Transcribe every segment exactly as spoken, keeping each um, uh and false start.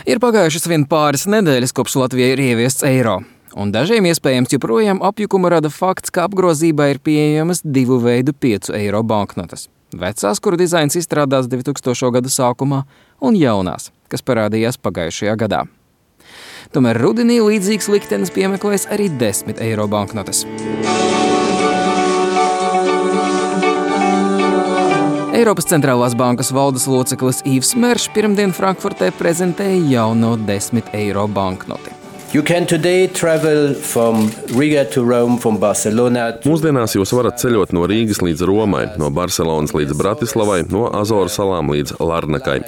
Ir pagājušas vien pāris nedēļas, kopš Latvijai ir ieviests eiro. Un dažiem iespējams joprojām apjukumu rada fakts, ka apgrozībā ir pieejamas divu veidu piecu eiro banknotes. Vecās, kuru dizains izstrādāts divtūkstošo gadu sākumā, un jaunās, kas parādījās pagājušajā gadā. Tomēr rudenī līdzīgs liktenis piemeklēs arī desmit eiro banknotes. Eiropas centrālās bankas valdes loceklis Yves Mersch pirmdien Frankfurtē prezentēja jauno desmit eiro banknoti. You can today travel from Riga to Rome, from Barcelona. Mūsdienās jūs varat ceļot no Rīgas līdz Romai, no Barcelonas līdz Bratislavai, no Azoru salām līdz Larnakai.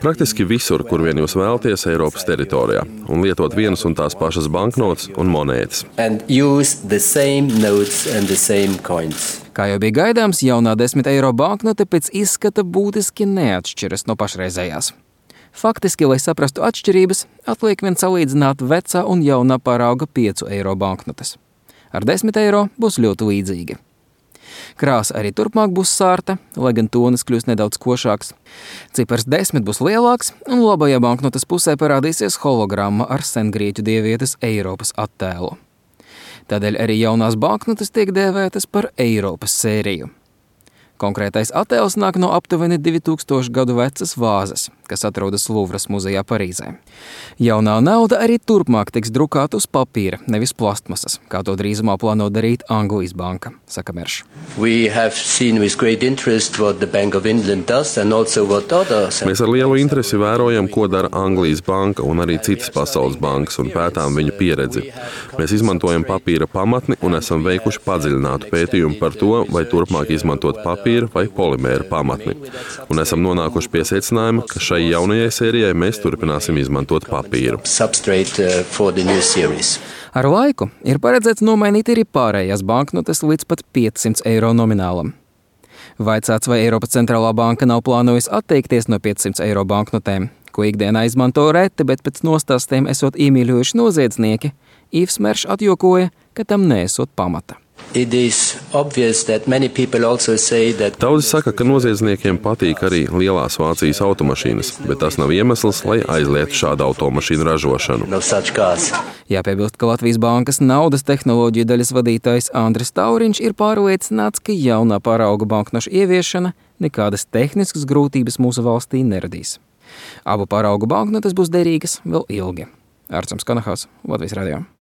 Praktiski visur, kur vien jūs vēlaties Eiropas teritorijā, un lietot vienas un tās pašas banknotes un monētas. And use the same notes and the same coins. Kā jau bija gaidāms, jaunā desmit eiro banknote pēc izskata būtiski neatšķiras no pašreizējās. Faktiski, lai saprastu atšķirības, atliek vien salīdzināt vecā un jaunā parauga piecu eiro banknotes. Ar desmit eiro būs ļoti līdzīgi. Krāsa arī turpmāk būs sārta, lai gan tonis kļūs nedaudz košāks. Cipars desmit būs lielāks, un labajā banknotes pusē parādīsies hologramma ar sengrieķu dievietes Eiropas attēlu. Tādēļ arī jaunās banknotes tiek dēvētas par Eiropas sēriju. Konkrētais attēls nāk no aptuveni divu tūkstošu gadu vecas vāzes, kas atrodas Luvras muzejā Parīzē. Jaunā nauda arī turpmāk tiks drukāta uz papīra, nevis plastmasas, kā to drīzumā plāno darīt Anglijas banka, saka Mersch. Mēs ar lielu interesi vērojam, ko dara Anglijas banka un arī citas pasaules bankas un pētām viņu pieredzi. Mēs izmantojam papīra pamatni un esam veikuši padziļinātu pētījumu par to, vai turpmāk izmantot papīru vai polimēra pamatni. Un esam nonākuši pie secinājuma, ka šai jaunajai sērijai mēs turpināsim izmantot papīru. Ar laiku ir paredzēts nomainīt arī pārējās banknotes līdz pat piecsimt eiro nominālam. Vaicāts, vai Eiropas centrālā banka nav plānojusi atteikties no piecsimt eiro banknotēm, ko ikdienā izmanto reti, bet pēc nostāstiem esot iemīļojuši noziedznieki, Yves Mersch atjokoja, ka tam neesot pamata. Daudzi saka, ka noziedzniekiem patīk arī lielās Vācijas automašīnas, bet tas nav iemesls, lai aizliegtu šādu automašīnu ražošanu. Jāpiebilst, ka Latvijas bankas naudas tehnoloģiju daļas vadītājs Andris Tauriņš ir pārliecināts, ka jaunā parauga banknošu ieviešana nekādas tehniskas grūtības mūsu valstī neradīs. Abu paraugu banknotes būs derīgas vēl ilgi. Arcams Kanahās, Latvijas radio.